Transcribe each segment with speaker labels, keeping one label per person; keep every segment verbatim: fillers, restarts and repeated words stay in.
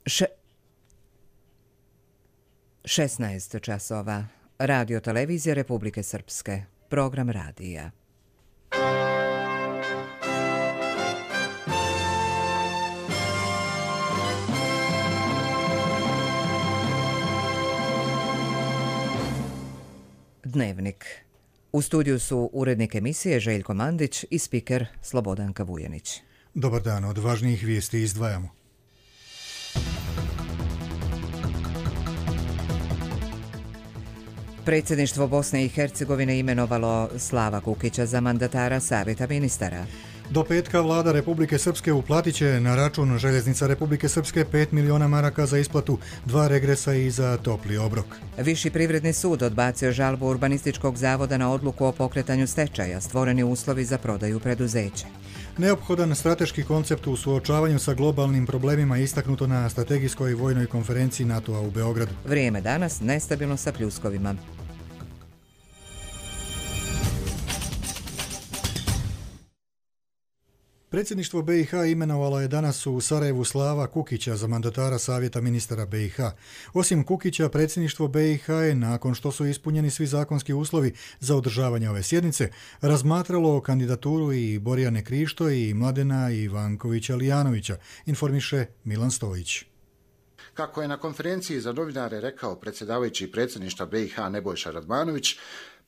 Speaker 1: Še... šesnaest časova. Radio televizija Republike Srpske. Program radija. Dnevnik. U studiju su urednik emisije Željko Mandić i spiker Slobodanka Vujanić.
Speaker 2: Dobar dan, od važnijih vijesti izdvajamo.
Speaker 1: Predsjedništvo Bosne i Hercegovine imenovalo Slava Kukića za mandatara Savjeta ministara.
Speaker 2: Do petka vlada Republike Srpske uplatit će na račun Željeznica Republike Srpske pet miliona maraka za isplatu, dva regresa i za topli obrok.
Speaker 1: Viši privredni sud odbacio žalbu Urbanističkog zavoda na odluku o pokretanju stečaja, stvoreni uslovi za prodaju preduzeća.
Speaker 2: Neophodan strateški koncept u suočavanju sa globalnim problemima istaknuto na strategijskoj vojnoj konferenciji NATO-a u Beogradu.
Speaker 1: Vrijeme danas nestabilno sa pljuskovima.
Speaker 2: Predsjedništvo B i H imenovalo je danas u Sarajevu Slava Kukića za mandatara Savjeta ministara B i H. Osim Kukića, predsjedništvo B i H je, nakon što su ispunjeni svi zakonski uslovi za održavanje ove sjednice, razmatralo kandidaturu i Borjane Krišto i Mladena Ivankovića Lijanovića, informiše Milan Stojić.
Speaker 3: Kako je na konferenciji za novinare rekao predsjedavajući predsjedništva B i H Nebojša Radmanović,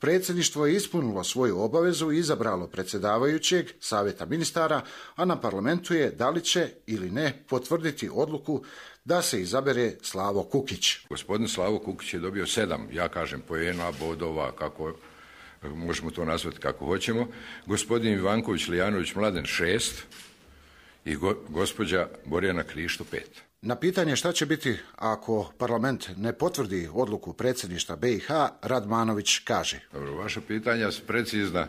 Speaker 3: predsjedništvo je ispunilo svoju obavezu i izabralo predsjedavajućeg Savjeta ministara, a na parlamentu je da li će ili ne potvrditi odluku da se izabere Slavo Kukić.
Speaker 4: Gospodin Slavo Kukić je dobio sedam, ja kažem, poena, bodova, kako možemo to nazvati kako hoćemo. Gospodin Ivanković Lijanović Mladen šest i go, gospođa Borjana Krišto pet.
Speaker 3: Na pitanje šta će biti ako parlament ne potvrdi odluku predsjedništva B i H, Radmanović kaže.
Speaker 4: Dobro, vaša pitanja su precizna,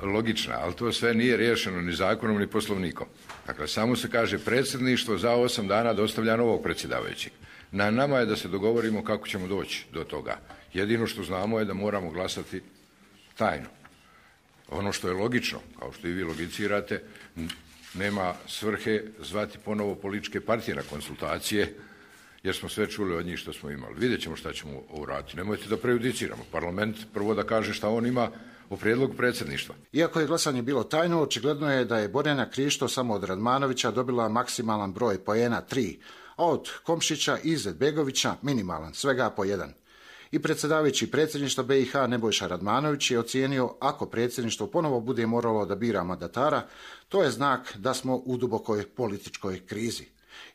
Speaker 4: logična, ali to sve nije riješeno ni zakonom ni poslovnikom. Dakle, samo se kaže predsjedništvo za osam dana dostavlja novog predsjedavajućeg. Na nama je da se dogovorimo kako ćemo doći do toga. Jedino što znamo je da moramo glasati tajno. Ono što je logično, kao što i vi logicirate, nema svrhe zvati ponovo političke partije na konsultacije, jer smo sve čuli od njih što smo imali. Vidjet ćemo šta ćemo uraditi. Nemojte da prejudiciramo. Parlament prvo da kaže šta on ima o prijedlogu predsjedništva.
Speaker 3: Iako je glasanje bilo tajno, očigledno je da je Borjana Krišto samo od Radmanovića dobila maksimalan broj poena tri, a od Komšića i Izetbegovića minimalan, svega po jedan. I predsjedavajući predsjedništva B i H Nebojša Radmanović je ocijenio ako predsjedništvo ponovo bude moralo da bira mandatara, to je znak da smo u dubokoj političkoj krizi.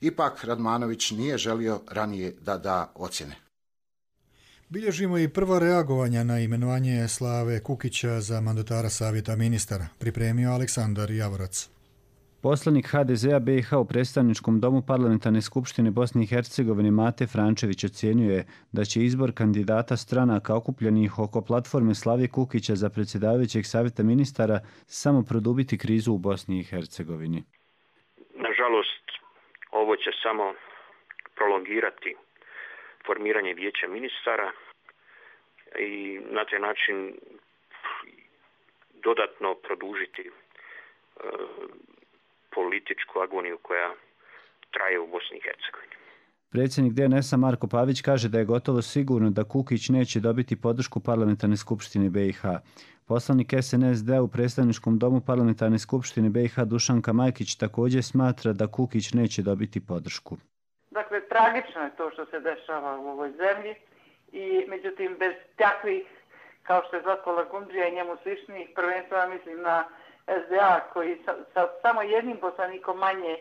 Speaker 3: Ipak Radmanović nije želio ranije da da ocjene.
Speaker 2: Bilježimo i prva reagovanja na imenovanje Slave Kukića za mandatara Savjeta ministara, pripremio Aleksandar Javorac.
Speaker 5: Poslanik H D Z-a B i H u predstavničkom domu Parlamentarne skupštine Bosne i Hercegovine Mate Frančević ocjenjuje da će izbor kandidata stranaka okupljenih oko platforme Slave Kukića za predsjedavajućeg Savjeta ministara samo produbiti krizu u Bosni i Hercegovini.
Speaker 6: Nažalost, ovo će samo prolongirati formiranje vijeća ministara i na taj način dodatno produžiti uh, političku agoniju koja traje u Bosni i Hercegovini.
Speaker 5: Predsjednik D N S-a Marko Pavić kaže da je gotovo sigurno da Kukić neće dobiti podršku Parlamentarne skupštine B i H. Poslanik S N S D u predstavničkom domu Parlamentarne skupštine B i H Dušanka Majkić također smatra da Kukić neće dobiti podršku.
Speaker 7: Dakle, tragično je to što se dešava u ovoj zemlji i međutim bez takvih kao što je Zlatko Lagundžija i njemu sličnih, prvenstveno mislim na S D A koji sa, sa samo jednim poslanikom manje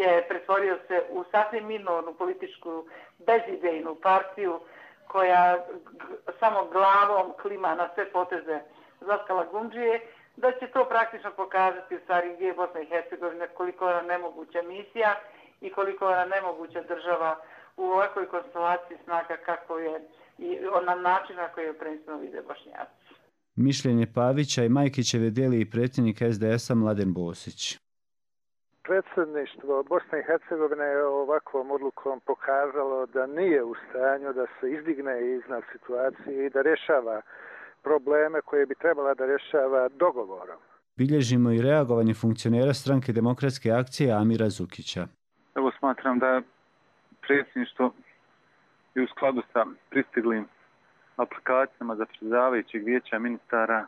Speaker 7: je pretvorio se u sasvim minornu političku bezidejnu partiju koja g- samo glavom klima na sve poteze Zlatka Lagundžije, da će to praktično pokazati u stvari gdje je Bosna i Hercegovina, koliko je ona nemoguća misija i koliko je ona nemoguća država u ovakvoj konstelaciji snaga kako je i na način na koji je prvenstveno vide Bošnjaci.
Speaker 5: Mišljenje Pavića i Majkićeve dijeli i predsjednik S D S-a Mladen Bosić.
Speaker 8: Predsjedništvo Bosne i Hercegovine je ovakvom odlukom pokazalo da nije u stanju da se izdigne iznad situacije i da rješava probleme koje bi trebala da rješava dogovorom.
Speaker 5: Bilježimo i reagovanje funkcionera stranke Demokratske akcije Amira Zukića.
Speaker 9: Evo smatram da predsjedništvo i u skladu sa pristiglim aplikacijama za predsjedavajućeg vijeća ministara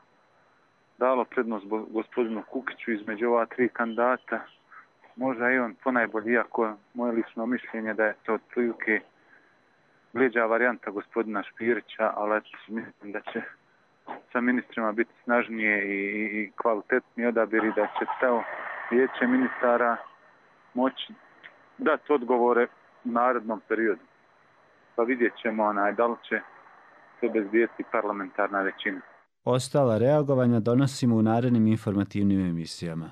Speaker 9: dalo prednost gospodinu Kukiću između ova tri kandidata. Možda i on ponajbolji, iako moje lično mišljenje da je to otprilike bliža varijanta gospodina Špirića, ali mislim da će sa ministrima biti snažnije i, i kvalitetniji odabir i da će to vijeće ministara moći dati odgovore u narednom periodu. Pa vidjet ćemo onaj, da li će se obezbijeti parlamentarna većina.
Speaker 5: Ostala reagovanja donosimo u narednim informativnim emisijama.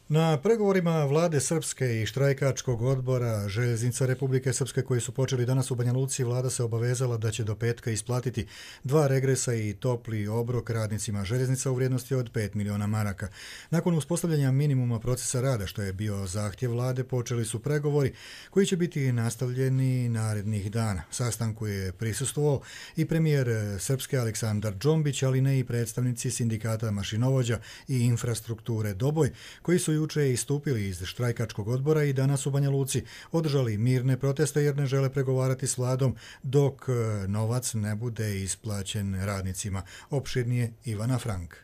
Speaker 2: Na pregovorima vlade Srpske i štrajkačkog odbora Željeznica Republike Srpske koji su počeli danas u Banja Luci, vlada se obavezala da će do petka isplatiti dva regresa i topli obrok radnicima željeznica u vrijednosti od pet miliona maraka. Nakon uspostavljanja minimuma procesa rada, što je bio zahtjev vlade, počeli su pregovori koji će biti nastavljeni narednih dana. Sastanku je prisustvovao i premijer Srpske Aleksandar Džombić, ali ne i predstavnici sindikata mašinovođa i infrastrukture Doboj, koji su juče istupili iz štrajkačkog odbora i danas u Banja Luci održali mirne proteste jer ne žele pregovarati s vladom dok novac ne bude isplaćen radnicima. Opširnije Ivana Frank.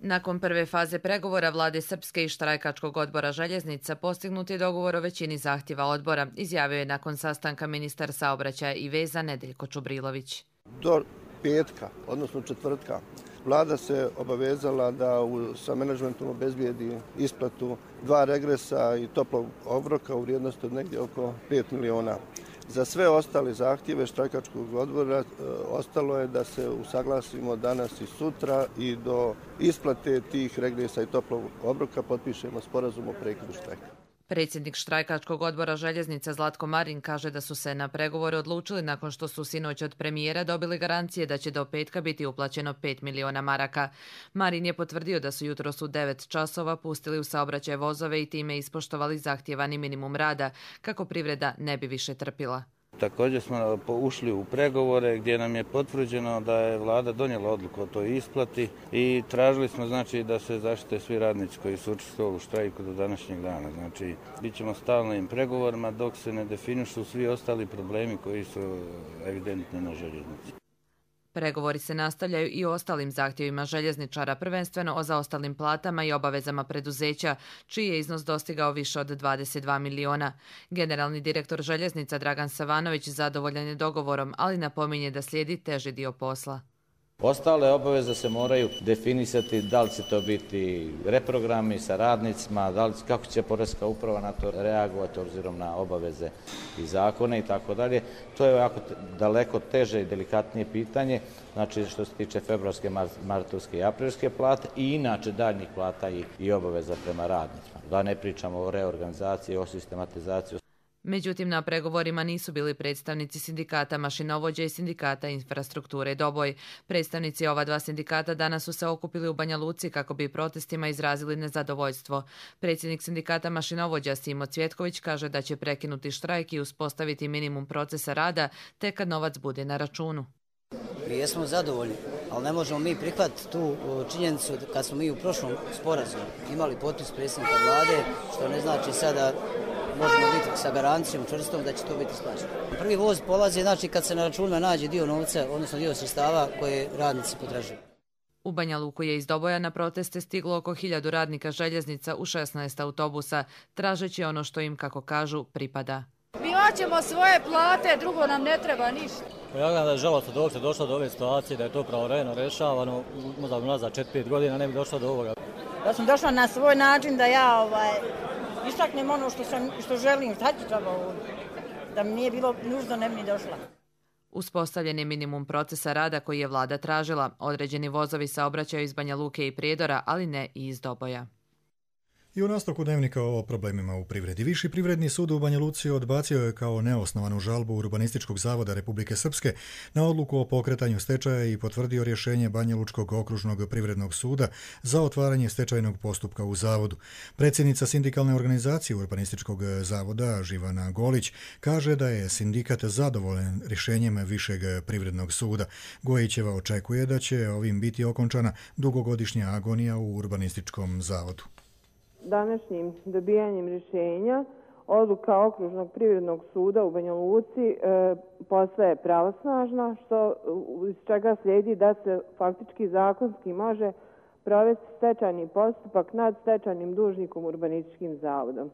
Speaker 10: Nakon prve faze pregovora vlade Srpske i štrajkačkog odbora željeznica postignut je dogovor o većini zahtjeva odbora, izjavio je nakon sastanka ministar saobraćaja i veza Nedeljko Čubrilović.
Speaker 11: Do petka, odnosno četvrtka, vlada se obavezala da u, sa menadžmentom obezbijedi isplatu dva regresa i toplog obroka u vrijednosti od negdje oko pet miliona. Za sve ostale zahtjeve štrajkačkog odbora e, ostalo je da se usaglasimo danas i sutra i do isplate tih regresa i toplog obroka potpišemo sporazum o prekidu štrajka.
Speaker 10: Predsjednik štrajkačkog odbora željeznica Zlatko Marin kaže da su se na pregovore odlučili nakon što su sinoć od premijera dobili garancije da će do petka biti uplaćeno pet miliona maraka. Marin je potvrdio da su jutros u devet časova pustili u saobraćaj vozove i time ispoštovali zahtjevani minimum rada, kako privreda ne bi više trpila.
Speaker 12: Također smo ušli u pregovore gdje nam je potvrđeno da je vlada donijela odluku o toj isplati i tražili smo znači da se zaštite svi radnici koji su učestvovali u štrajku do današnjeg dana. Znači, bit ćemo stalnim pregovorima dok se ne definišu svi ostali problemi koji su evidentni na željeznici.
Speaker 10: Pregovori se nastavljaju i o ostalim zahtjevima željezničara, prvenstveno o zaostalim platama i obavezama preduzeća, čiji je iznos dostigao više od dvadeset dva miliona. Generalni direktor željeznica Dragan Savanović zadovoljan je dogovorom, ali napominje da slijedi teži dio posla.
Speaker 13: Ostale obaveze se moraju definisati, da li će to biti reprogrami sa radnicima, da li, kako će Poreska uprava na to reagovati obzirom na obaveze i zakone i tako dalje. To je jako daleko teže i delikatnije pitanje, znači što se tiče februarske, martovske i aprilske plate i inače daljnjih plata i, i obaveza prema radnicima. Da ne pričamo o reorganizaciji, o sistematizaciji.
Speaker 10: Međutim, na pregovorima nisu bili predstavnici sindikata mašinovođa i sindikata infrastrukture Doboj. Predstavnici ova dva sindikata danas su se okupili u Banja Luci kako bi protestima izrazili nezadovoljstvo. Predsjednik sindikata mašinovođa Simo Cvjetković kaže da će prekinuti štrajk i uspostaviti minimum procesa rada tek kad novac bude na računu.
Speaker 14: Mi jesmo zadovoljni, ali ne možemo mi prihvatiti tu činjenicu kad smo mi u prošlom sporazumu imali potpis predsjednika vlade, što ne znači sada možemo biti sa garancijom čvrstom da će to biti isplaćeno. Prvi voz polazi znači kad se na računima nađe dio novca, odnosno dio sredstava koje radnici potražuju.
Speaker 10: U Banja Luku je iz Doboja na proteste stiglo oko hiljadu radnika željeznica u šesnaest autobusa, tražeći ono što im, kako kažu, pripada.
Speaker 15: Mi hoćemo svoje plate, drugo nam ne treba ništa.
Speaker 16: Ja gledam da je žalostno dok se došlo do ove situacije, da je to pravovremeno rešavano, možda nazad četiri pet godina ne bi došlo do ovoga.
Speaker 15: Ja sam došla na svoj način da ja ovaj, istaknem ono što, sam, što želim, šta ću treba ovdje. Da mi nije bilo nužno, ne bi ni došla.
Speaker 10: Uspostavljen je minimum procesa rada koji je vlada tražila. Određeni vozovi saobraćaju iz Banja Luke i Prijedora, ali ne i iz Doboja.
Speaker 2: I u nastavku dnevnika o problemima u privredi. Viši privredni sud u Banja Luci odbacio je kao neosnovanu žalbu Urbanističkog zavoda Republike Srpske na odluku o pokretanju stečaja i potvrdio rješenje Banja Lučkog okružnog privrednog suda za otvaranje stečajnog postupka u zavodu. Predsjednica sindikalne organizacije Urbanističkog zavoda Živana Golić kaže da je sindikat zadovoljan rješenjem Višeg privrednog suda. Gojićeva očekuje da će ovim biti okončana dugogodišnja agonija u Urbanističkom zavodu.
Speaker 17: Današnjim dobijanjem rješenja odluka Okružnog privrednog suda u Banja Luci e, postaje pravosnažna, što iz čega slijedi da se faktički zakonski može provesti stečajni postupak nad stečajnim dužnikom Urbanističkim zavodom.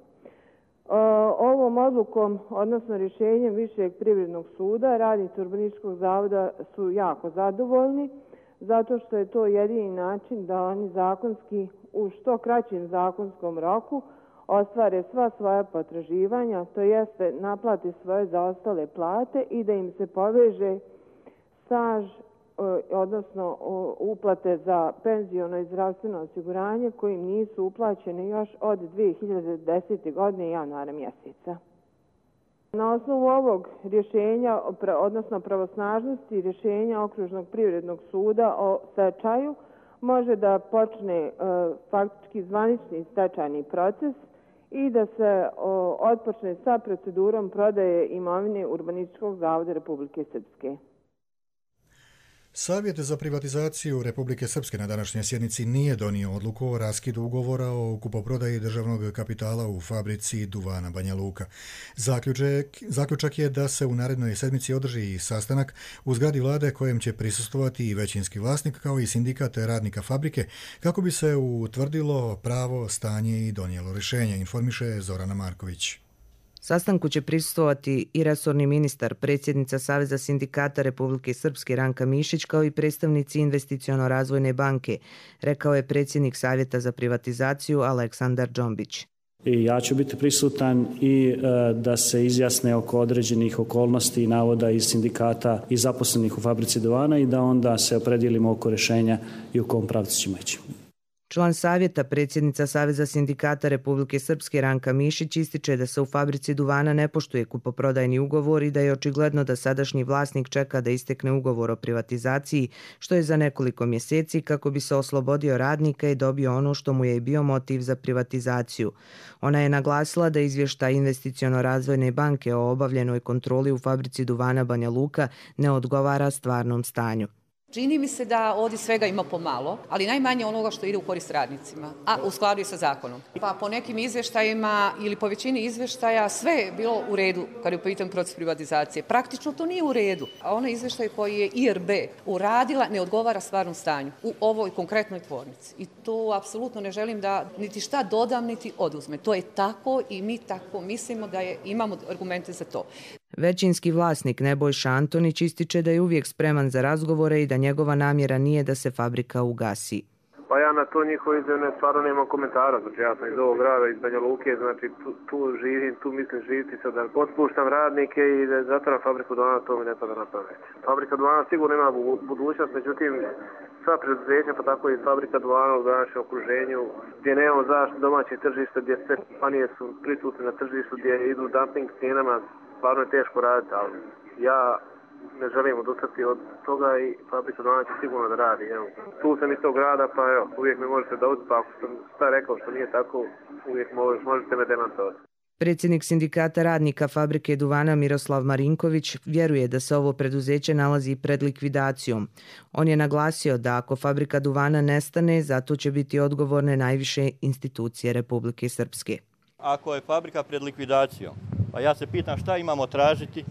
Speaker 17: Ovom odlukom, odnosno rješenjem Višeg privrednog suda, radnici Urbanističkog zavoda su jako zadovoljni, zato što je to jedini način da oni zakonski, u što kraćem zakonskom roku, ostvare sva svoja potraživanja, to jeste naplate svoje zaostale plate i da im se poveže staž, odnosno uplate za penziono i zdravstveno osiguranje kojim nisu uplaćene još od dvije hiljade desete. godine januara mjeseca. Na osnovu ovog rješenja, odnosno pravosnažnosti rješenja Okružnog privrednog suda o stečaju, može da počne faktički zvanični stečajni proces i da se otpočne sa procedurom prodaje imovine Urbanističkog zavoda Republike Srpske.
Speaker 2: Savjet za privatizaciju Republike Srpske na današnjoj sjednici nije donio odluku o raskidu ugovora o kupoprodaji državnog kapitala u fabrici duvana Banja Luka. Zaključak, zaključak je da se u narednoj sedmici održi sastanak u zgradi vlade kojem će prisustvovati i većinski vlasnik kao i sindikat radnika fabrike kako bi se utvrdilo pravo stanje i donijelo rješenje, informiše Zorana Marković.
Speaker 18: Sastanku će prisustvovati i resorni ministar, predsjednica Saveza sindikata Republike Srpske Ranka Mišić kao i predstavnici Investiciono-razvojne banke, rekao je predsjednik Savjeta za privatizaciju Aleksandar Džombić.
Speaker 19: I ja ću biti prisutan i e, da se izjasne oko određenih okolnosti i navoda iz sindikata i zaposlenih u fabrici duvana i da onda se opredijelimo oko rješenja i u kom pravcu ćemo ići.
Speaker 18: Član savjeta, predsjednica Saveza sindikata Republike Srpske Ranka Mišić ističe da se u fabrici duvana ne poštuje kupoprodajni ugovor i da je očigledno da sadašnji vlasnik čeka da istekne ugovor o privatizaciji, što je za nekoliko mjeseci kako bi se oslobodio radnika i dobio ono što mu je i bio motiv za privatizaciju. Ona je naglasila da izvještaj Investiciono-razvojne banke o obavljenoj kontroli u fabrici duvana Banja Luka ne odgovara stvarnom stanju.
Speaker 20: Čini mi se da ovdje svega ima pomalo, ali najmanje onoga što ide u korist radnicima, a u skladu je sa zakonom. Pa po nekim izvještajima ili po većini izvještaja sve je bilo u redu kad je u pitanju proces privatizacije. Praktično to nije u redu. A onaj izvještaj koji je I R B uradila ne odgovara stvarnom stanju u ovoj konkretnoj tvornici. I to apsolutno ne želim da niti šta dodam, niti oduzme. To je tako i mi tako mislimo da je, imamo argumente za to.
Speaker 18: Većinski vlasnik Nebojša Antonić ističe da je uvijek spreman za razgovore i da njegova namjera nije da se fabrika ugasi.
Speaker 21: Pa ja na to njihovo izjavne stvarno nemam komentara, znači ja sam iz ovog grada, iz Banja Luke, znači tu, tu živim, tu mislim živiti sad da otpuštam radnike i da zatvaram fabriku duvana, to mi ne pada na pamet. Fabrika duvana sigurno ima budućnost, međutim sva preduzeća, pa tako i fabrika duvana u današnjem okruženju, gdje nemamo zaštitu domaćeg tržišta, gdje sve kompanije su prisutne na tržištu, gdje idu dumping cijenama, stvarno je teško raditi, ali ja ne želim odustati od toga i fabrika duvana će sigurno da radi. Evo. Tu sam iz tog grada, pa evo, uvijek me možete dobiti, pa ako sam šta rekao što nije tako, uvijek možete me demantovati.
Speaker 18: Predsjednik sindikata radnika fabrike duvana Miroslav Marinković vjeruje da se ovo preduzeće nalazi pred likvidacijom. On je naglasio da ako fabrika duvana nestane, zato će biti odgovorne najviše institucije Republike Srpske.
Speaker 22: Ako je fabrika pred likvidacijom, pa ja se pitam šta imamo tražiti.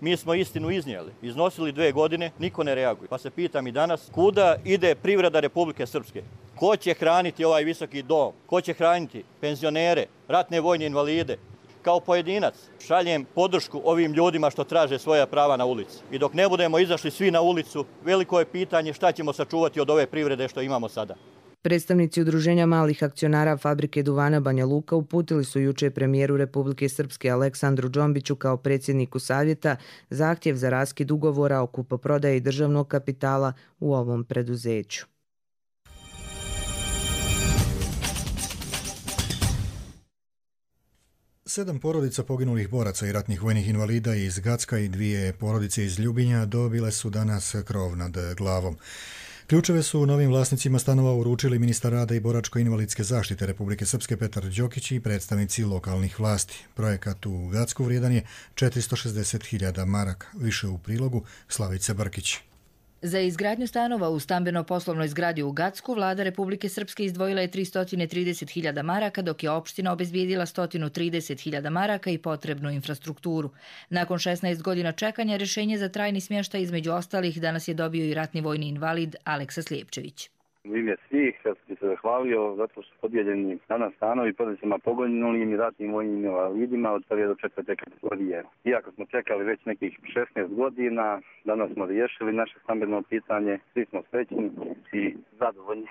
Speaker 22: Mi smo istinu iznijeli, iznosili dve godine, niko ne reaguje. Pa se pitam i danas, kuda ide privreda Republike Srpske? Ko će hraniti ovaj visoki dom? Ko će hraniti penzionere, ratne vojne invalide? Kao pojedinac šaljem podršku ovim ljudima što traže svoja prava na ulici. I dok ne budemo izašli svi na ulicu, veliko je pitanje šta ćemo sačuvati od ove privrede što imamo sada.
Speaker 18: Predstavnici Udruženja malih akcionara fabrike duvana Banja Luka uputili su juče premijeru Republike Srpske Aleksandru Džombiću kao predsjedniku savjeta zahtjev za raskid ugovora o kupoprodaji državnog kapitala u ovom preduzeću.
Speaker 2: Sedam porodica poginulih boraca i ratnih vojnih invalida iz Gacka i dvije porodice iz Ljubinja dobile su danas krov nad glavom. Ključeve su novim vlasnicima stanova uručili ministar rada i boračko-invalidske zaštite Republike Srpske Petar Đokić i predstavnici lokalnih vlasti. Projekat u Gacku vrijedan je četiristo šezdeset hiljada maraka. Više u prilogu Slavice Brkić.
Speaker 1: Za izgradnju stanova u stambeno-poslovnoj zgradi u Gacku vlada Republike Srpske izdvojila je tristo trideset hiljada maraka, dok je opština obezbijedila sto trideset hiljada maraka i potrebnu infrastrukturu. Nakon šesnaest godina čekanja, rješenje za trajni smještaj između ostalih danas je dobio i ratni vojni invalid Aleksa Slijepčević.
Speaker 4: U ime svih, ja sam se zahvalio zato što su podijeljeni danas stanovi porodicama poginulim i ratnim vojnim invalidima od prve do četvrte kategorije. Iako smo čekali već nekih šesnaest godina, danas smo riješili naše stambeno pitanje, svi smo srećni i zadovoljni.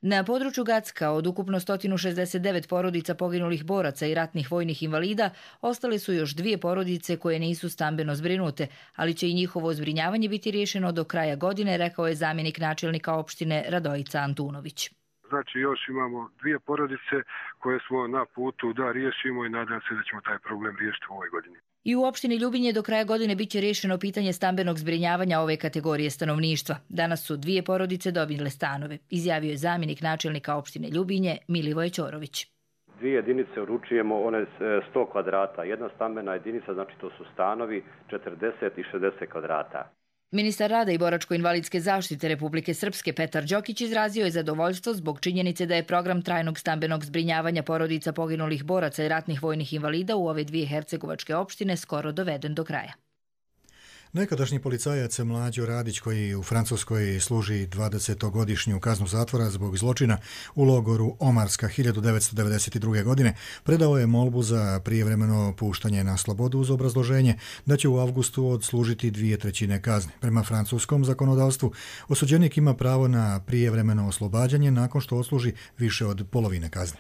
Speaker 1: Na području Gacka od ukupno sto šezdeset devet porodica poginulih boraca i ratnih vojnih invalida ostale su još dvije porodice koje nisu stambeno zbrinute, ali će i njihovo zbrinjavanje biti riješeno do kraja godine, rekao je zamjenik načelnika opštine Radojica Antunović.
Speaker 23: Znači još imamo dvije porodice koje smo na putu da riješimo i nadam se da ćemo taj problem riješiti u ovoj godini.
Speaker 1: I u opštini Ljubinje do kraja godine biće riješeno pitanje stambenog zbrinjavanja ove kategorije stanovništva. Danas su dvije porodice dobile stanove, izjavio je zamjenik načelnika opštine Ljubinje Milivoje Ćorović.
Speaker 24: Dvije jedinice uručujemo, one sto kvadrata. Jedna stambena jedinica, znači to su stanovi četrdeset i šezdeset kvadrata.
Speaker 1: Ministar rada i boračko-invalidske zaštite Republike Srpske Petar Đokić izrazio je zadovoljstvo zbog činjenice da je program trajnog stambenog zbrinjavanja porodica poginulih boraca i ratnih vojnih invalida u ove dvije hercegovačke opštine skoro doveden do kraja.
Speaker 2: Nekadašnji policajac Mlađo Radić, koji u Francuskoj služi dvadesetogodišnju kaznu zatvora zbog zločina u logoru Omarska hiljadu devetsto devedeset druge. godine, predao je molbu za prijevremeno puštanje na slobodu uz obrazloženje da će u avgustu odslužiti dvije trećine kazne. Prema francuskom zakonodavstvu, osuđenik ima pravo na prijevremeno oslobađanje nakon što odsluži više od polovine kazne.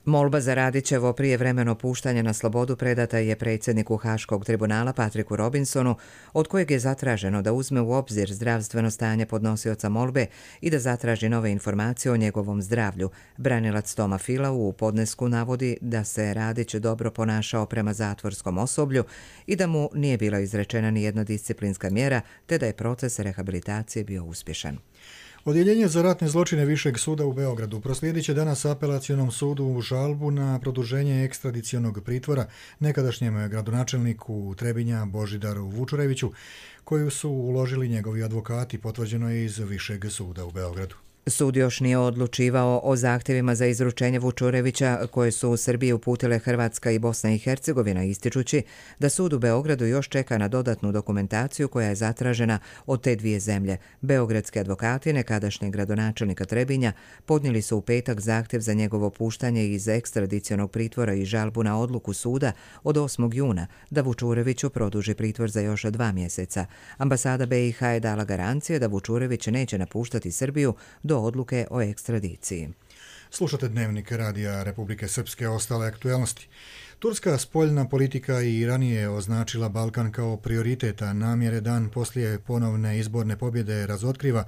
Speaker 18: Molba za Radićevo prijevremeno puštanje na slobodu predata je predsjedniku Haškog tribunala Patriku Robinsonu, od kojeg je zatraženo da uzme u obzir zdravstveno stanje podnosioca molbe i da zatraži nove informacije o njegovom zdravlju. Branilac Toma Fila u podnesku navodi da se Radić dobro ponašao prema zatvorskom osoblju i da mu nije bila izrečena ni jedna disciplinska mjera, te da je proces rehabilitacije bio uspješan.
Speaker 2: Odjeljenje za ratne zločine Višeg suda u Beogradu proslijedit će danas apelacionom sudu u žalbu na produženje ekstradicionog pritvora nekadašnjem gradonačelniku Trebinja Božidaru Vučureviću, koju su uložili njegovi advokati, potvrđeno je iz Višeg suda u Beogradu.
Speaker 18: Sud još nije odlučivao o zahtjevima za izručenje Vučurevića koje su u Srbiji uputile Hrvatska i Bosna i Hercegovina, ističući da sud u Beogradu još čeka na dodatnu dokumentaciju koja je zatražena od te dvije zemlje. Beogradski advokati nekadašnjeg gradonačelnika Trebinja podnijeli su u petak zahtjev za njegovo puštanje iz ekstradicionog pritvora i žalbu na odluku suda od osmog juna da Vučureviću produži pritvor za još dva mjeseca. Ambasada B i H je dala garancije da Vučurević neće napuštati Srbiju do odluke o ekstradiciji.
Speaker 2: Slušate Dnevnik Radija Republike Srpske, ostale aktualnosti. Turska spoljna politika i ranije označila Balkan kao prioriteta namjere dan poslije ponovne izborne pobjede razotkriva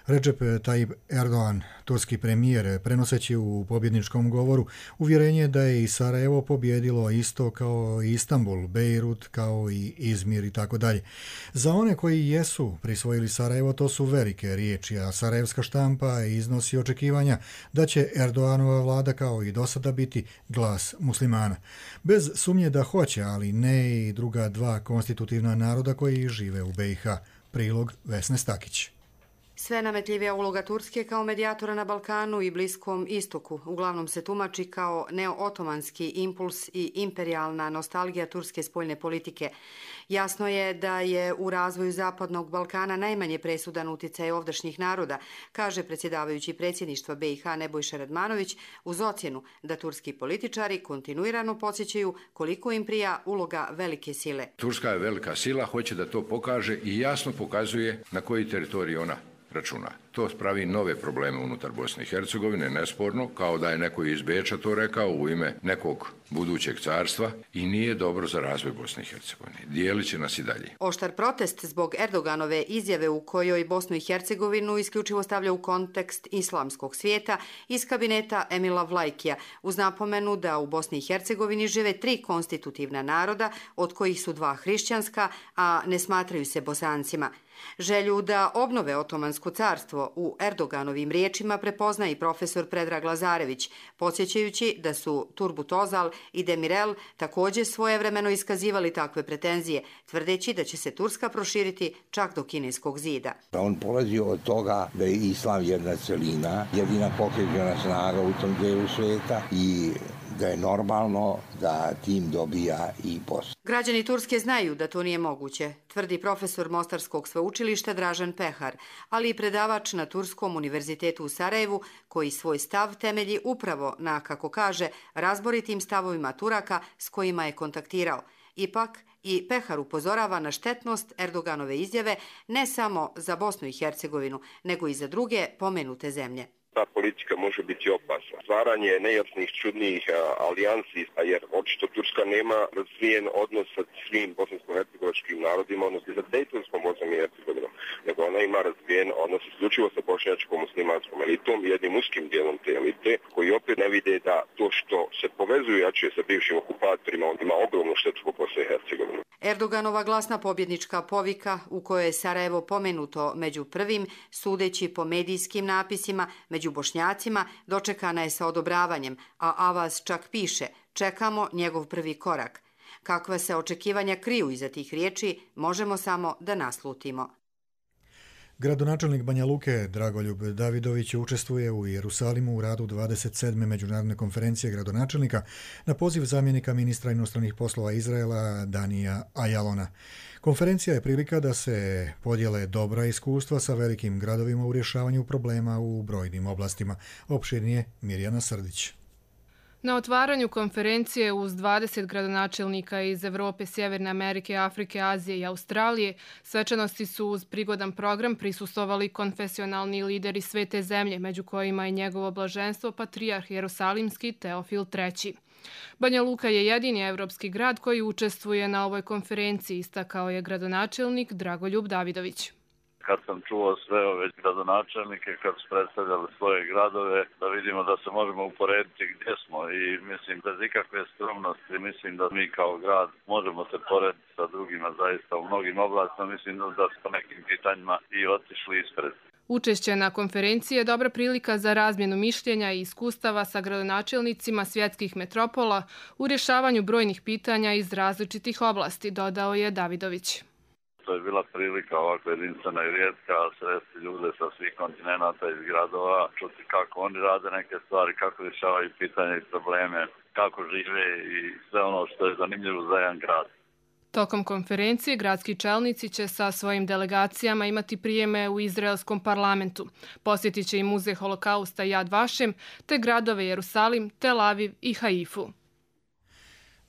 Speaker 2: Recep Tayyip Erdogan, turski premijer, prenoseći u pobjedničkom govoru uvjerenje da je i Sarajevo pobjedilo isto kao i Istanbul, Bejrut, kao i Izmir i tako dalje. Za one koji jesu prisvojili Sarajevo, to su velike riječi, a sarajevska štampa iznosi očekivanja da će Erdoganova vlada kao i do sada biti glas muslimana. Bez sumnje da hoće, ali ne i druga dva konstitutivna naroda koji žive u B i H. Prilog Vesne Stakić.
Speaker 25: Sve nametljivija uloga Turske kao medijatora na Balkanu i Bliskom istoku uglavnom se tumači kao neo-otomanski impuls i imperijalna nostalgija turske spoljne politike. Jasno je da je u razvoju Zapadnog Balkana najmanje presudan utjecaj ovdašnjih naroda, kaže predsjedavajući predsjedništva B i H Nebojša Radmanović, uz ocjenu da turski političari kontinuirano podsjećaju koliko im prija uloga velike sile.
Speaker 26: Turska je velika sila, hoće da to pokaže i jasno pokazuje na koji teritorij ona računa. To spravi nove probleme unutar Bosne i Hercegovine, nesporno, kao da je neko iz Beča to rekao u ime nekog budućeg carstva i nije dobro za razvoj Bosne i Hercegovine. Dijelit će nas i dalje.
Speaker 25: Oštar protest zbog Erdoganove izjave u kojoj Bosnu i Hercegovinu isključivo stavlja u kontekst islamskog svijeta iz kabineta Emila Vlajkija, uz napomenu da u Bosni i Hercegovini žive tri konstitutivna naroda, od kojih su dva hrišćanska, a ne smatraju se Bosancima. Želju da obnove Otomansko carstvo u Erdoganovim riječima prepozna i profesor Predrag Lazarević, podsjećajući da su Turgut Özal i Demirel također svojevremeno iskazivali takve pretenzije, tvrdeći da će se Turska proširiti čak do Kineskog zida.
Speaker 3: On polazi od toga da je islam jedna celina, jedina pokrećena snaga u tom delu svijeta i da je normalno da tim dobija i posao.
Speaker 25: Građani Turske znaju da to nije moguće, tvrdi profesor Mostarskog sveučilišta Dražan Pehar, ali i predavač na Turskom univerzitetu u Sarajevu, koji svoj stav temelji upravo na, kako kaže, razboritim stavovima Turaka s kojima je kontaktirao. Ipak, i Pehar upozorava na štetnost Erdoganove izjave ne samo za Bosnu i Hercegovinu, nego i za druge pomenute zemlje.
Speaker 5: Ta politika može biti opasna. Stvaranje nejasnih, čudnih alijansi, jer očito Turska nema razvijen odnos sa svim bosansko-hercegovačkim narodima, odnosno sa Dejtonskom Bosnom i Hercegovinom, nego ona ima razvijen odnos isključivo sa bošnjačkom muslimanskom elitom i jednim uskim dijelom te elite, koji opet ne vide da to što se povezuje jače sa bivšim okupatorima, on ima ogromnu štetu po Bosni i Hercegovini.
Speaker 25: Erdoganova glasna pobjednička povika, u kojoj je Sarajevo pomenuto među prvim, sudeći po medijskim napisima, među Bošnjacima, dočekana je sa odobravanjem, a Avaz čak piše: čekamo njegov prvi korak. Kakva se očekivanja kriju iza tih riječi, možemo samo da naslutimo.
Speaker 2: Gradonačelnik Banja Luke Dragoljub Davidović učestvuje u Jerusalimu u radu dvadeset sedme međunarodne konferencije gradonačelnika na poziv zamjenika ministra inostranih poslova Izraela Danija Ajalona. Konferencija je prilika da se podijele dobra iskustva sa velikim gradovima u rješavanju problema u brojnim oblastima. Opširnije Mirjana Srdić.
Speaker 6: Na otvaranju konferencije uz dvadeset gradonačelnika iz Evrope, Sjeverne Amerike, Afrike, Azije i Australije, svečanosti su uz prigodan program prisustvovali konfesionalni lideri svete zemlje, među kojima je njegovo blaženstvo patrijarh Jerusalimski Teofil treći. Banja Luka je jedini evropski grad koji učestvuje na ovoj konferenciji, istakao je gradonačelnik Dragoljub Davidović.
Speaker 7: Kad sam čuo sve ove gradonačelnike, kad su predstavljali svoje gradove, da vidimo da se možemo uporediti gdje smo i mislim bez ikakve skromnosti, mislim da mi kao grad možemo se porediti sa drugima zaista u mnogim oblastima, mislim da su po nekim pitanjima i otišli ispred.
Speaker 6: Učešće na konferenciji je dobra prilika za razmjenu mišljenja i iskustava sa gradonačelnicima svjetskih metropola u rješavanju brojnih pitanja iz različitih oblasti, dodao je Davidović.
Speaker 7: To je bila prilika ovako jedinstvena i rijetka sresti ljude sa svih kontinenta iz gradova, čuti kako oni rade neke stvari, kako rješavaju pitanja i probleme, kako žive i sve ono što je zanimljivo za jedan grad.
Speaker 6: Tokom konferencije gradski čelnici će sa svojim delegacijama imati prijeme u izraelskom parlamentu. Posjetit će i muzej holokausta Yad Vashem, te gradove Jerusalim, Tel Aviv i Haifu.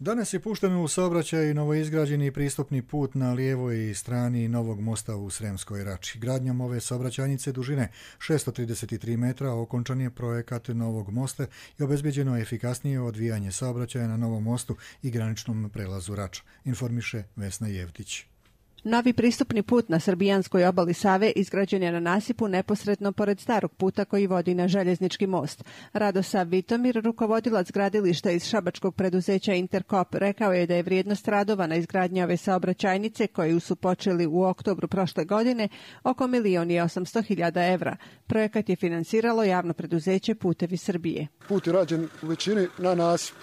Speaker 2: Danas je pušten u saobraćaj novoizgrađeni pristupni put na lijevoj strani novog mosta u Sremskoj Rači. Gradnjom ove saobraćajnice dužine šesto trideset tri metra okončan je projekat novog mosta i obezbeđeno efikasnije odvijanje saobraćaja na novom mostu i graničnom prelazu Rača, informiše Vesna Jevtić.
Speaker 8: Novi pristupni put na srbijanskoj obali Save izgrađen je na nasipu neposredno pored starog puta koji vodi na željeznički most. Radosav Vitomir, rukovodilac gradilišta iz šabačkog preduzeća Interkop, rekao je da je vrijednost radova na izgradnji ove saobraćajnice, koju su počeli u oktobru prošle godine, oko milion i osamsto hiljada evra. Projekat je finansiralo javno preduzeće Putevi Srbije.
Speaker 9: Put je rađen u većini na nasip.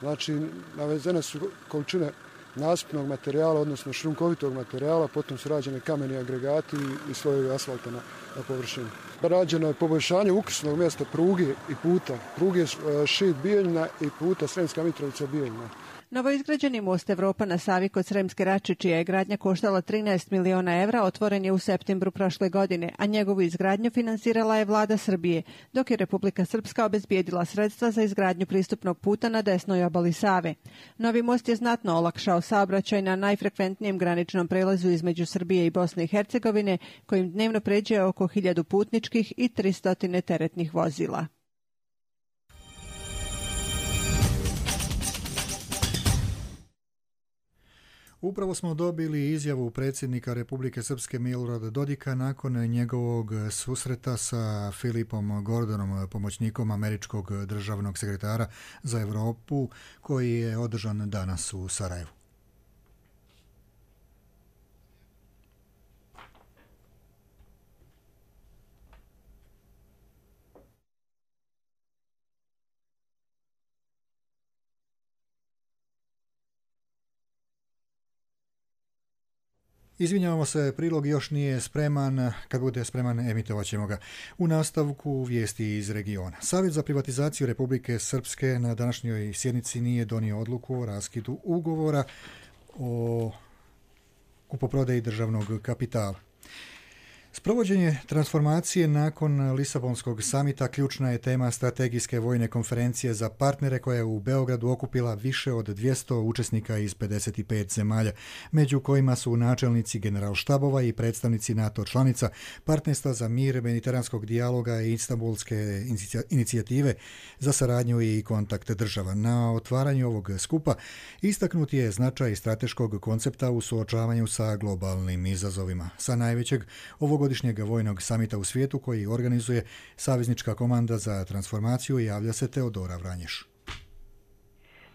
Speaker 9: Znači, navezene su količine nasipnog materijala, odnosno šljunkovitog materijala, potom su rađene kameni agregati i slojevi asfalta na, na površini. Rađeno je poboljšanje ukrsnog mjesta pruge i puta. Pruge Šid Bijeljina i puta Sremska Mitrovica Bijeljina.
Speaker 8: Novoizgrađeni most Evropa na Savi kod Sremske Rače, čija je gradnja koštala trinaest miliona evra, otvoren je u septembru prošle godine, a njegovu izgradnju finansirala je vlada Srbije, dok je Republika Srpska obezbijedila sredstva za izgradnju pristupnog puta na desnoj obali Save. Novi most je znatno olakšao saobraćaj na najfrekventnijem graničnom prelazu između Srbije i Bosne i Hercegovine, kojim dnevno pređe oko hiljadu putničkih i tristo teretnih vozila.
Speaker 2: Upravo smo dobili izjavu predsjednika Republike Srpske Milorada Dodika nakon njegovog susreta sa Filipom Gordonom, pomoćnikom američkog državnog sekretara za Europu, koji je održan danas u Sarajevu. Izvinjavamo se, prilog još nije spreman, kad bude spreman emitovat ćemo ga. U nastavku vijesti iz regiona. Savjet za privatizaciju Republike Srpske na današnjoj sjednici nije donio odluku o raskidu ugovora o kupoprodaji državnog kapitala. Sprovođenje transformacije nakon Lisabonskog samita ključna je tema strategijske vojne konferencije za partnere koja je u Beogradu okupila više od dvjesto učesnika iz pedeset pet zemalja, među kojima su načelnici generalštabova i predstavnici NATO članica, partnerstva za mir, mediteranskog dijaloga i Istanbulske inicijative za saradnju i kontakt država. Na otvaranju ovog skupa istaknut je značaj strateškog koncepta u suočavanju sa globalnim izazovima. Sa najvećeg ovog godišnjeg vojnog samita u svijetu koji organizuje Saveznička komanda za transformaciju javlja se Teodora Vranješ.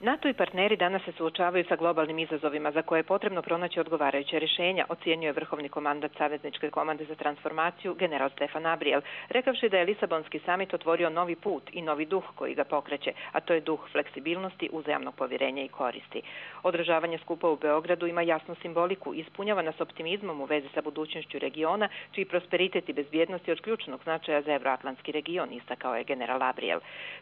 Speaker 11: NATO i partneri danas se suočavaju sa globalnim izazovima za koje je potrebno pronaći odgovarajuće rješenja, ocjenjuje vrhovni komandat Savezničke komande za transformaciju general Stefan Abrijel, rekavši da je Lisabonski samit otvorio novi put i novi duh koji ga pokreće, a to je duh fleksibilnosti, uzajamnog povjerenja i koristi. Održavanje skupa u Beogradu ima jasnu simboliku i ispunjava nas optimizmom u vezi sa budućnošću regiona, čiji prosperitet i bezbjednost je od ključnog značaja za Evroatlantski region, istakao je general Abrijel.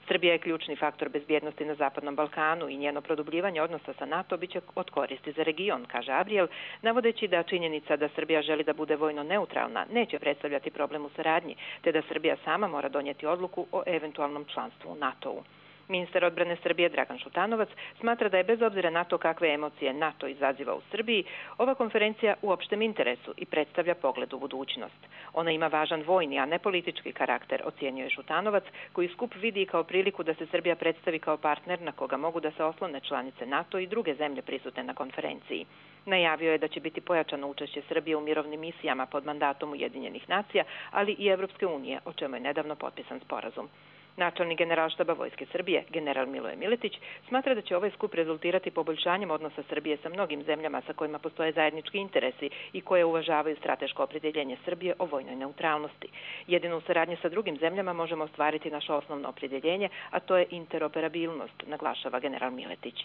Speaker 11: Srbija je ključni faktor bezbjednosti na Zapadnom Balkanu i njeno produbljivanje odnosa sa NATO biće od koristi za region, kaže Abrijel, navodeći da činjenica da Srbija želi da bude vojno neutralna neće predstavljati problem u saradnji, te da Srbija sama mora donijeti odluku o eventualnom članstvu u NATO-u. Ministar odbrane Srbije Dragan Šutanovac smatra da je bez obzira na to kakve emocije NATO izaziva u Srbiji, ova konferencija u opštem interesu i predstavlja pogled u budućnost. Ona ima važan vojni, a ne politički karakter, ocjenjuje Šutanovac, koji skup vidi kao priliku da se Srbija predstavi kao partner na koga mogu da se oslone članice NATO i druge zemlje prisutne na konferenciji. Najavio je da će biti pojačano učešće Srbije u mirovnim misijama pod mandatom Ujedinjenih nacija, ali i Evropske unije, o čemu je nedavno potpisan sporazum. Načelnik generalštaba Vojske Srbije, general Miloje Miletić, smatra da će ovaj skup rezultirati poboljšanjem odnosa Srbije sa mnogim zemljama sa kojima postoje zajednički interesi i koje uvažavaju strateško opredjeljenje Srbije o vojnoj neutralnosti. Jedino u saradnji sa drugim zemljama možemo ostvariti naše osnovno opredjeljenje, a to je interoperabilnost, naglašava general Miletić.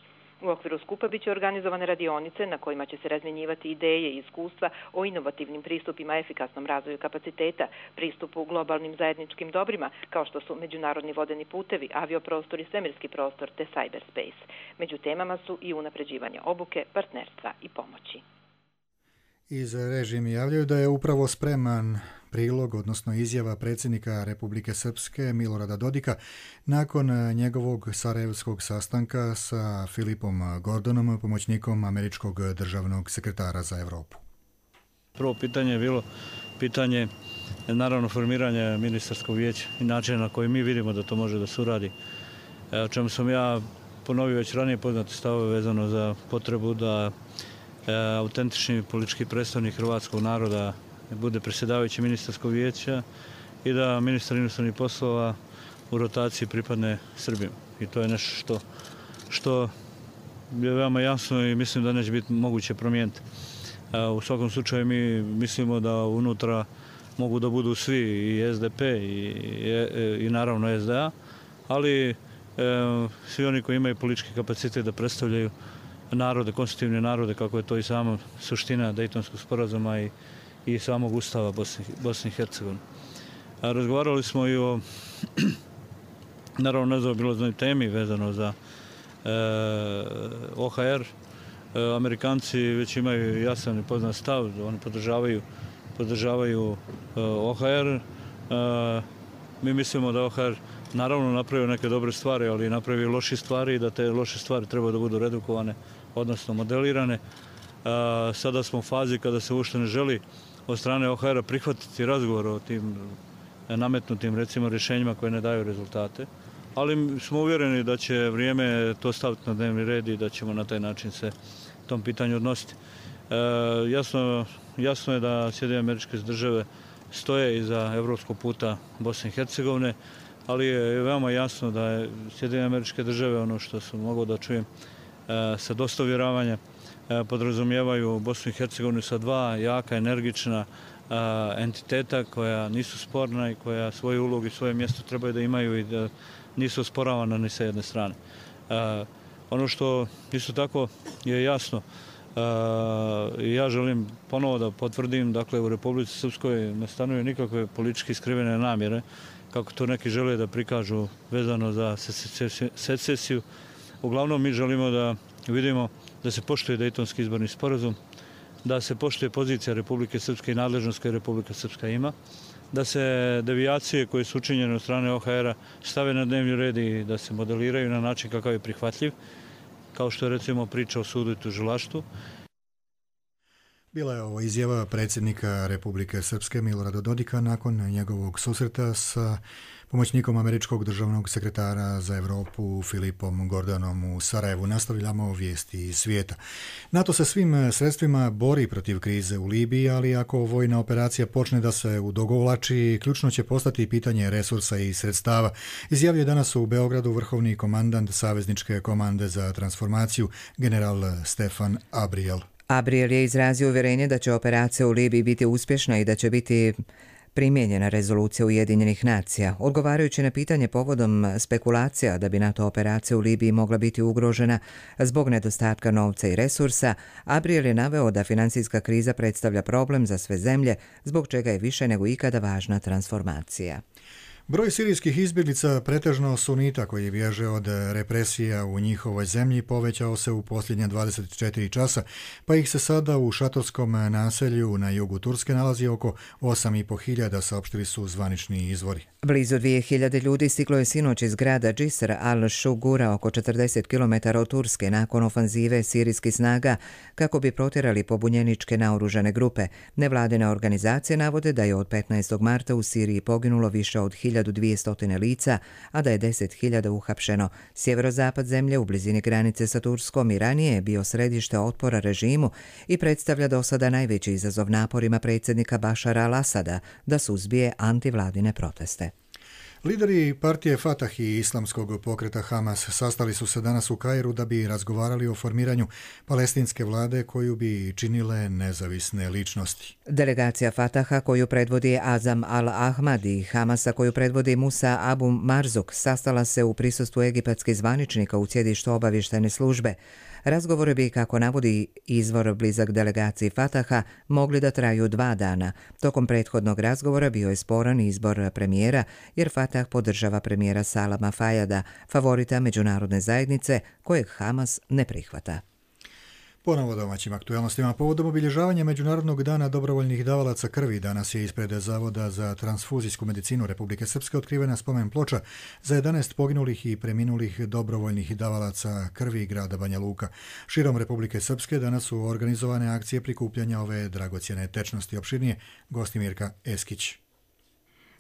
Speaker 11: U okviru skupa biće organizovane radionice na kojima će se razmjenjivati ideje i iskustva o inovativnim pristupima efikasnom razvoju kapaciteta, pristupu globalnim zajedničkim dobrima, kao što su međunarodni vodeni putevi, avioprostor i svemirski prostor te cyberspace. Među temama su i unapređivanje obuke, partnerstva i pomoći.
Speaker 2: Iz režimi javljaju da je upravo spreman prilog, odnosno izjava predsjednika Republike Srpske Milorada Dodika nakon njegovog sarajevskog sastanka sa Filipom Gordonom, pomoćnikom američkog državnog sekretara za Europu.
Speaker 12: Prvo pitanje je bilo pitanje naravno formiranja ministarskog vijeća i načina na koji mi vidimo da to može da se uradi. O čemu sam ja ponovio već ranije poznate stavove vezano za potrebu da autentični politički predstavnik hrvatskog naroda bude predsjedavajući ministarskog vijeća i da ministar inostranih poslova u rotaciji pripadne Srbiji. I to je nešto što, što je veoma jasno i mislim da neće biti moguće promijeniti. U svakom slučaju mi mislimo da unutra mogu da budu svi i S D P i, i, i naravno S D A, ali e, svi oni koji imaju politički kapacitet da predstavljaju narode, konstitutivne narode, kako je to i sama suština Dejtonskog sporazuma i, i samog Ustava Bosne, Bosne i Hercegovine. Razgovarali smo i o naravno nezaobilaznoj temi vezano za e, O H R. E, Amerikanci već imaju jasan i poznat stav, oni podržavaju, podržavaju e, O H R. E, mi mislimo da O H R naravno napravio neke dobre stvari, ali napravio loše stvari i da te loše stvari treba da budu redukovane, odnosno modelirane. Sada smo u fazi kada se uopšte ne želi od strane O H R-a prihvatiti razgovor o tim nametnutim recimo rješenjima koje ne daju rezultate, ali smo uvjereni da će vrijeme to staviti na dnevni red i da ćemo na taj način se tom pitanju odnositi. E, jasno, jasno je da Sjedinjene Američke Države stoje iza evropskog puta Bosne i Hercegovine, ali je veoma jasno da je Sjedinjene Američke Države, ono što sam mogao da čujem sa dosta uvjeravanja, podrazumijevaju Bosnu i Hercegovinu sa dva jaka, energična entiteta koja nisu sporna i koja svoju ulogu i svoje mjesto trebaju da imaju i da nisu osporavana ni sa jedne strane. Ono što isto tako je jasno, Ja želim ponovo da potvrdim, dakle u Republici Srpskoj ne stanuju nikakve politički skrivene namjere, kako to neki žele da prikažu vezano za secesiju. Uglavnom mi želimo da vidimo da se poštuje Dejtonski izborni sporazum, da se poštuje pozicija Republike Srpske i nadležnost koje Republika Srpska ima, da se devijacije koje su učinjene od strane O H R-a stave na dnevni red i da se modeliraju na način kakav je prihvatljiv, kao što je recimo priča o sudu i tužilaštvu.
Speaker 2: Bila je ovo izjava predsjednika Republike Srpske Milorada Dodika nakon njegovog susreta sa pomoćnikom američkog državnog sekretara za Europu Filipom Gordonom u Sarajevu. Nastavljamo vijesti iz svijeta. NATO se svim sredstvima bori protiv krize u Libiji, ali ako vojna operacija počne da se udogovlači, ključno će postati pitanje resursa i sredstava. Izjavio danas u Beogradu vrhovni komandant Savezničke komande za transformaciju, general Stefan Abriel.
Speaker 10: Abriel je izrazio uvjerenje da će operacija u Libiji biti uspješna i da će biti primijenjena rezolucija Ujedinjenih nacija. Odgovarajući na pitanje povodom spekulacija da bi NATO operacija u Libiji mogla biti ugrožena zbog nedostatka novca i resursa, Abriel je naveo da financijska kriza predstavlja problem za sve zemlje, zbog čega je više nego ikada važna transformacija.
Speaker 2: Broj sirijskih izbjeglica, pretežno sunita koji bježe od represija u njihovoj zemlji, povećao se u posljednje dvadeset četiri časa, pa ih se sada u šatorskom naselju na jugu Turske nalazi oko osam i po hiljada, saopštili su zvanični izvori.
Speaker 10: Blizu dvije hiljade ljudi stiglo je sinoć iz grada Džisr al-Shugura oko četrdeset kilometara od Turske nakon ofanzive sirijskih snaga kako bi protjerali pobunjeničke naoružane grupe. Nevladine organizacije navode da je od petnaestog marta u Siriji poginulo više od hiljadu dvjesto lica, a da je deset hiljada uhapšeno. Sjeverozapad zemlje u blizini granice sa Turskom i ranije je bio središte otpora režimu i predstavlja do sada najveći izazov naporima predsjednika Bašara al-Asada da suzbije antivladine proteste.
Speaker 2: Lideri partije Fatah i islamskog pokreta Hamas sastali su se danas u Kairu da bi razgovarali o formiranju palestinske vlade koju bi činile nezavisne ličnosti.
Speaker 10: Delegacija Fataha koju predvodi Azam al-Ahmad i Hamasa koju predvodi Musa Abu Marzuk sastala se u prisustvu egipatskih zvaničnika u sjedištu obavještajne službe. Razgovori bi, kako navodi izvor blizak delegaciji Fataha, mogli da traju dva dana. Tokom prethodnog razgovora bio je sporan izbor premijera, jer Fatah podržava premijera Salama Fajada, favorita međunarodne zajednice, kojeg Hamas ne prihvata.
Speaker 2: Ponovo domaćim aktualnostima. Povodom obilježavanja Međunarodnog dana dobrovoljnih davalaca krvi danas je ispred Zavoda za transfuzijsku medicinu Republike Srpske otkrivena spomen ploča za jedanaest poginulih i preminulih dobrovoljnih davalaca krvi grada Banja Luka. Širom Republike Srpske danas su organizovane akcije prikupljanja ove dragocjene tečnosti. Opširnije Gostimirka Eskić.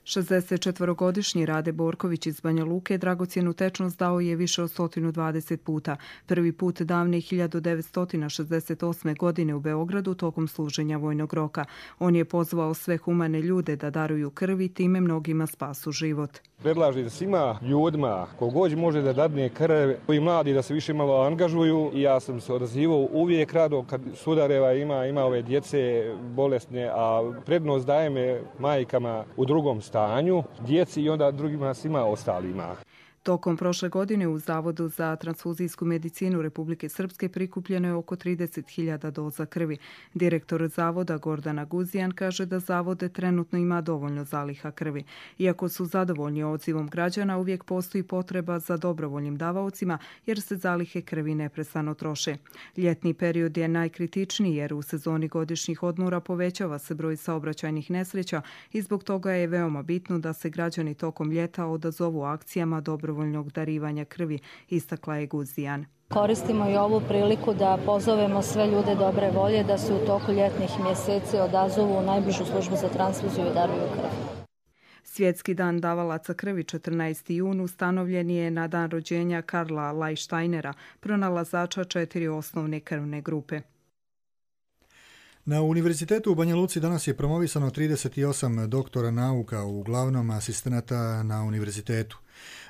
Speaker 13: šezdesetčetvorogodišnji Rade Borković iz Banja Luke dragocjenu tečnost dao je više od sto dvadeset puta. Prvi put davne hiljadu devetsto šezdeset osme. godine u Beogradu tokom služenja vojnog roka. On je pozvao sve humane ljude da daruju krv i time mnogima spasu život.
Speaker 14: Predlažem svima ljudima kogod može da dadne krv, koji mladi da se više malo angažuju. Ja sam se odazivao uvijek rado kad sudareva ima, ima ove djece bolesne, a prednost dajem majkama u drugom stanju, djeci i onda drugima svima ostalima.
Speaker 13: Tokom prošle godine u Zavodu za transfuzijsku medicinu Republike Srpske prikupljeno je oko trideset hiljada doza krvi. Direktor Zavoda Gordana Guzijan kaže da Zavode trenutno ima dovoljno zaliha krvi. Iako su zadovoljni odzivom građana, uvijek postoji potreba za dobrovoljnim davaocima jer se zalihe krvi neprestano troše. Ljetni period je najkritičniji jer u sezoni godišnjih odmora povećava se broj saobraćajnih nesreća i zbog toga je veoma bitno da se građani tokom ljeta odazovu akcijama dobrovoljnog dobrovoljnog darivanja krvi, istakla je Guzijan.
Speaker 15: Koristimo i ovu priliku da pozovemo sve ljude dobre volje da se u toku ljetnih mjeseci odazovu u najbližu službu za transfuziju i daruju krv.
Speaker 13: Svjetski dan davalaca krvi četrnaesti jun ustanovljen je na dan rođenja Karla Lajštajnera, pronalazača četiri osnovne krvne grupe.
Speaker 2: Na Univerzitetu u Banja Luci danas je promovisano trideset osam doktora nauka, uglavnom asistenata na univerzitetu.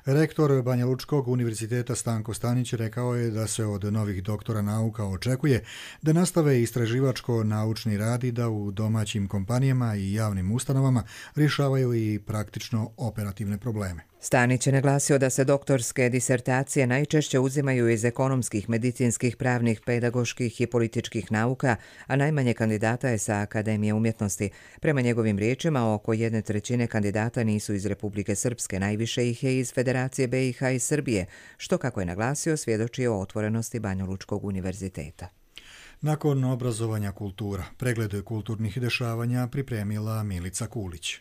Speaker 2: Rektor Banja Lučkog univerziteta Stanko Stanić rekao je da se od novih doktora nauka očekuje da nastave istraživačko-naučni rad i da u domaćim kompanijama i javnim ustanovama rješavaju i praktično operativne probleme.
Speaker 10: Stanić je naglasio da se doktorske disertacije najčešće uzimaju iz ekonomskih, medicinskih, pravnih, pedagoških i političkih nauka, a najmanje kandidata je sa Akademije umjetnosti. Prema njegovim riječima, oko jedne trećine kandidata nisu iz Republike Srpske, najviše ih je iz Federacije B i H i Srbije, što, kako je naglasio, svjedoči o otvorenosti Banjalučkog univerziteta.
Speaker 2: Nakon obrazovanja kultura, pregled kulturnih dešavanja pripremila Milica Kulić.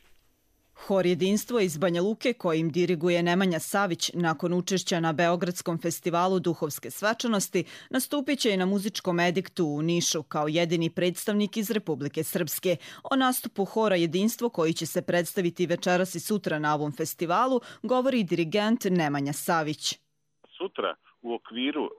Speaker 16: Hor Jedinstvo iz Banja Luke, kojim diriguje Nemanja Savić, nakon učešća na Beogradskom festivalu duhovske svečanosti, nastupit će i na muzičkom ediktu u Nišu kao jedini predstavnik iz Republike Srpske. O nastupu Hora Jedinstvo, koji će se predstaviti večeras i sutra na ovom festivalu, govori dirigent Nemanja Savić.
Speaker 17: Sutra u okviru e,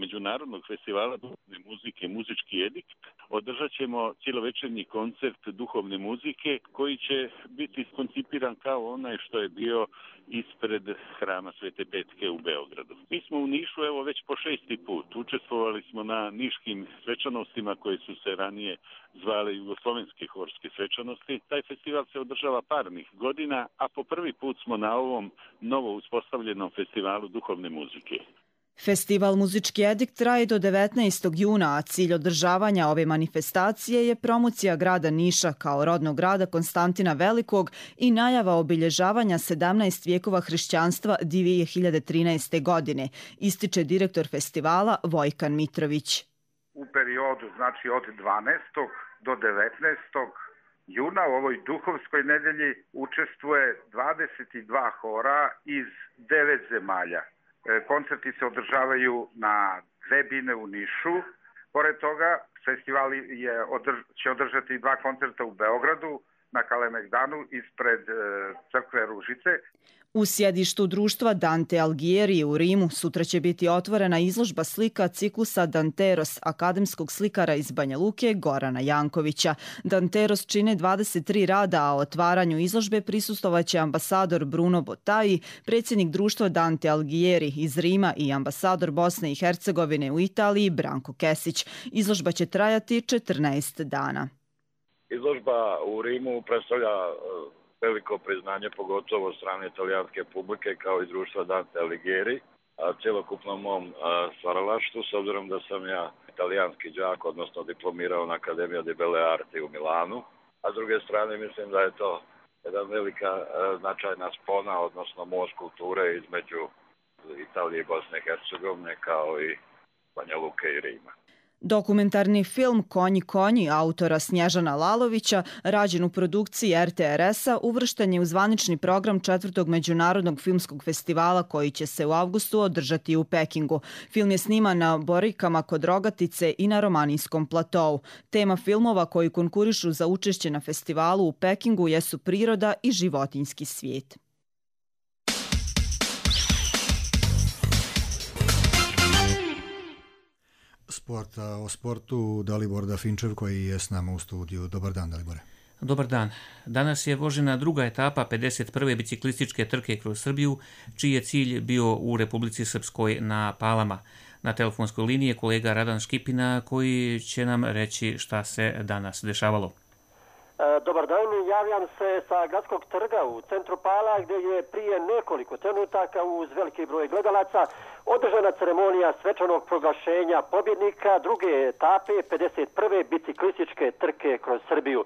Speaker 17: Međunarodnog festivala duhovne muzike Muzički edikt održat ćemo cijelovečernji koncert duhovne muzike koji će biti koncipiran kao onaj što je bio ispred hrama Svete Petke u Beogradu. Mi smo u Nišu evo već po šesti put. Učestvovali smo na niškim svečanostima koje su se ranije zvale jugoslovenske horske svečanosti. Taj festival se održava parnih godina, a po prvi put smo na ovom novo uspostavljenom festivalu duhovne muzike.
Speaker 16: Festival Muzički edikt traje do devetnaestog juna, a cilj održavanja ove manifestacije je promocija grada Niša kao rodnog grada Konstantina Velikog i najava obilježavanja sedamnaest vijekova hrišćanstva dvije hiljade trinaeste. godine, ističe direktor festivala Vojkan Mitrović.
Speaker 19: U periodu, znači od dvanaestog do devetnaestog juna u ovoj duhovskoj nedelji učestvuje dvadeset dva hora iz devet zemalja. Koncerti se održavaju na Drebine u Nišu. Pored toga, festival je održ, će održati dva koncerta u Beogradu na Kalemegdanu ispred e, crkve Ružice.
Speaker 16: U sjedištu društva Dante Alighieri u Rimu sutra će biti otvorena izložba slika ciklusa Danteros, akademskog slikara iz Banja Luke Gorana Jankovića. Danteros čine dvadeset tri rada, a otvaranju izložbe prisustvovaće ambasador Bruno Botai, predsjednik društva Dante Alighieri iz Rima i ambasador Bosne i Hercegovine u Italiji Branko Kesić. Izložba će trajati četrnaest dana.
Speaker 7: Izložba u Rimu predstavlja veliko priznanje, pogotovo od strane italijanske publike kao i društva Dante Alighieri, a cjelokupnom mom stvaralaštvu, s obzirom da sam ja italijanski đak, odnosno diplomirao na Akademija di Belle Arti u Milanu, a s druge strane mislim da je to jedna velika značajna spona, odnosno most kulture između Italije i Bosne i Hercegovine kao i Banja Luke i Rima.
Speaker 16: Dokumentarni film Konji konji autora Snježana Lalovića, rađen u produkciji R T R S-a, uvršten je u zvanični program četvrtog Međunarodnog filmskog festivala koji će se u avgustu održati u Pekingu. Film je sniman na Borikama kod Rogatice i na Romanijskom platou. Tema filmova koji konkurišu za učešće na festivalu u Pekingu jesu priroda i životinjski svijet.
Speaker 2: Sporta, o sportu Dalibor Dafinčev koji je s nama u studiju. Dobar dan, Dalibore.
Speaker 20: Dobar dan. Danas je vožena druga etapa pedeset prve biciklističke trke kroz Srbiju, čiji je cilj bio u Republici Srpskoj na Palama. Na telefonskoj liniji je kolega Radan Škipina koji će nam reći šta se danas dešavalo.
Speaker 21: Dobar dan, javljam se sa Gradskog trga u centru Pala gdje je prije nekoliko trenutaka uz veliki broj gledalaca održana ceremonija svečanog proglašenja pobjednika druge etape pedeset prve biciklističke trke kroz Srbiju.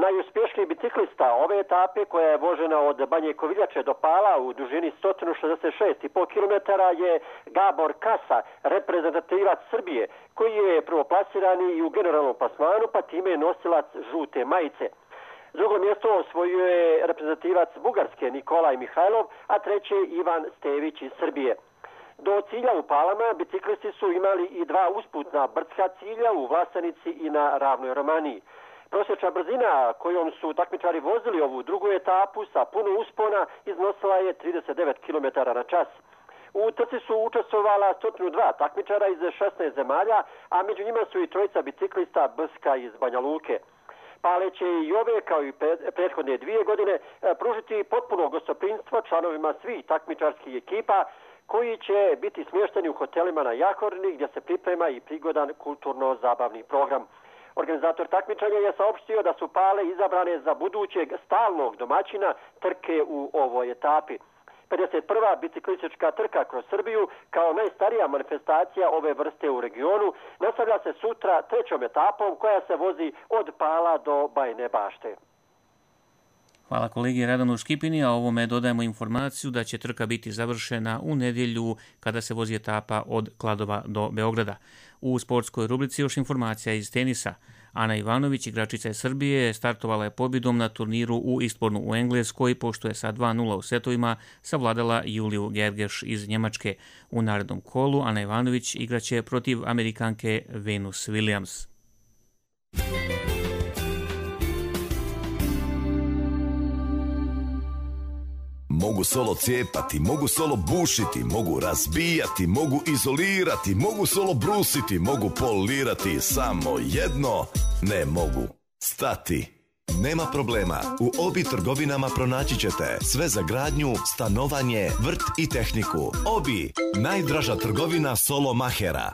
Speaker 21: Najuspješniji biciklista ove etape, koja je vožena od Banje Koviljače do Pala u dužini sto šezdeset šest i pol kilometara, je Gabor Kasa, reprezentativac Srbije, koji je prvoplasirani i u generalnom plasmanu, pa time je nosilac žute majice. Drugo mjesto osvojio je reprezentativac Bugarske Nikolaj Mihajlov, a treće Ivan Stević iz Srbije. Do cilja u Palama biciklisti su imali i dva usputna brdska cilja u Vlasenici i na Ravnoj Romaniji. Prosječna brzina kojom su takmičari vozili ovu drugu etapu sa puno uspona iznosila je trideset devet kilometara na čas. U trci su učestvovala sto dva takmičara iz šesnaest zemalja, a među njima su i trojica biciklista Brska iz Banja Luke. Pale će i ove, kao i prethodne dvije godine, pružiti potpuno gostoprimstvo članovima svih takmičarskih ekipa koji će biti smješteni u hotelima na Jahorni gdje se priprema i prigodan kulturno-zabavni program. Organizator takmičanja je saopštio da su Pale izabrane za budućeg stalnog domaćina trke u ovoj etapi. pedeset prva biciklistička trka kroz Srbiju kao najstarija manifestacija ove vrste u regionu nastavlja se sutra trećom etapom koja se vozi od Pala do Bajine Bašte.
Speaker 20: Hvala kolegi Radanu Škipini, a ovome dodajemo informaciju da će trka biti završena u nedjelju kada se vozi etapa od Kladova do Beograda. U sportskoj rubrici još informacija iz tenisa. Ana Ivanović, igračica iz Srbije, startovala je pobjedom na turniru u Eastbournu u Engleskoj, pošto je sa dva nula u setovima savladala Juliju Gergeš iz Njemačke. U narednom kolu Ana Ivanović igraće protiv Amerikanke Venus Williams.
Speaker 1: Mogu solo cijepati, mogu solo bušiti, mogu razbijati, mogu izolirati, mogu solo brusiti, mogu polirati, samo jedno ne mogu. Stati. Nema problema, u Obi trgovinama pronaći ćete sve za gradnju, stanovanje, vrt i tehniku. Obi, najdraža trgovina solo mahera.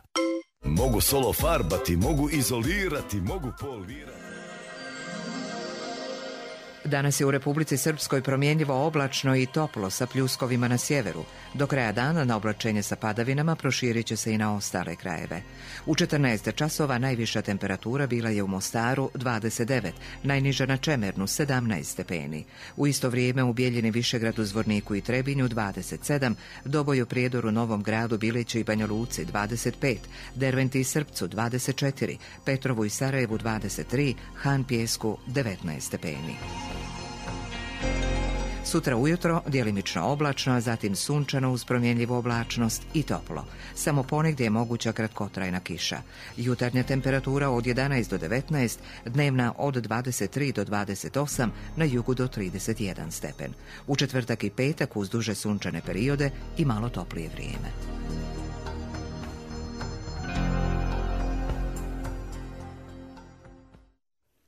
Speaker 1: Mogu solo farbati, mogu izolirati, mogu polirati.
Speaker 10: Danas je u Republici Srpskoj promjenjivo oblačno i toplo sa pljuskovima na sjeveru. Do kraja dana na oblačenje sa padavinama proširit će se i na ostale krajeve. U četrnaest časova najviša temperatura bila je u Mostaru dvadeset devet, najniža na Čemernu sedamnaest stepeni. U isto vrijeme u Bijeljini, Višegradu, Zvorniku i Trebinju dvadeset sedam, Doboju, Prijedoru, Novom Gradu, Biliću i Banja Luci dvadeset pet, Derventi i Srpcu dvadeset četiri, Petrovu i Sarajevu dvadeset tri, Han Pijesku devetnaest stepeni. Sutra ujutro djelimično oblačno, a zatim sunčano uz promjenljivu oblačnost i toplo. Samo ponegdje je moguća kratkotrajna kiša. Jutarnja temperatura od jedanaest do devetnaest, dnevna od dvadeset tri do dvadeset osam, na jugu do trideset jedan stepen. U četvrtak i petak uz duže sunčane periode i malo toplije vrijeme.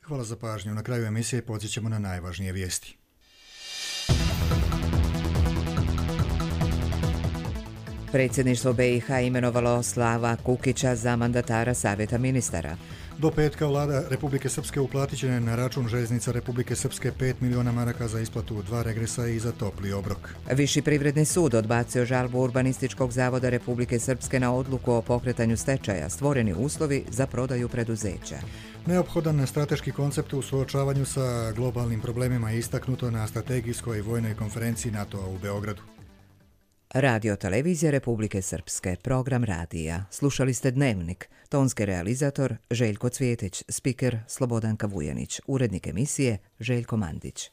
Speaker 2: Hvala za pažnju. Na kraju emisije podsjećamo na najvažnije vijesti.
Speaker 10: Predsjedništvo be i ha imenovalo Slava Kukića za mandatara Savjeta ministara.
Speaker 2: Do petka vlada Republike Srpske uplatit će na račun željeznica Republike Srpske pet miliona maraka za isplatu dva regresa i za topli obrok.
Speaker 10: Viši privredni sud odbacio žalbu Urbanističkog zavoda Republike Srpske na odluku o pokretanju stečaja, stvoreni uslovi za prodaju preduzeća.
Speaker 2: Neophodan strateški koncept u suočavanju sa globalnim problemima je istaknuto na strategijskoj vojnoj konferenciji NATO-a u Beogradu.
Speaker 10: Radio Televizija Republike Srpske, program radija. Slušali ste Dnevnik, tonski realizator Željko Cvjetić, spiker Slobodanka Vujanić, urednik emisije Željko Mandić.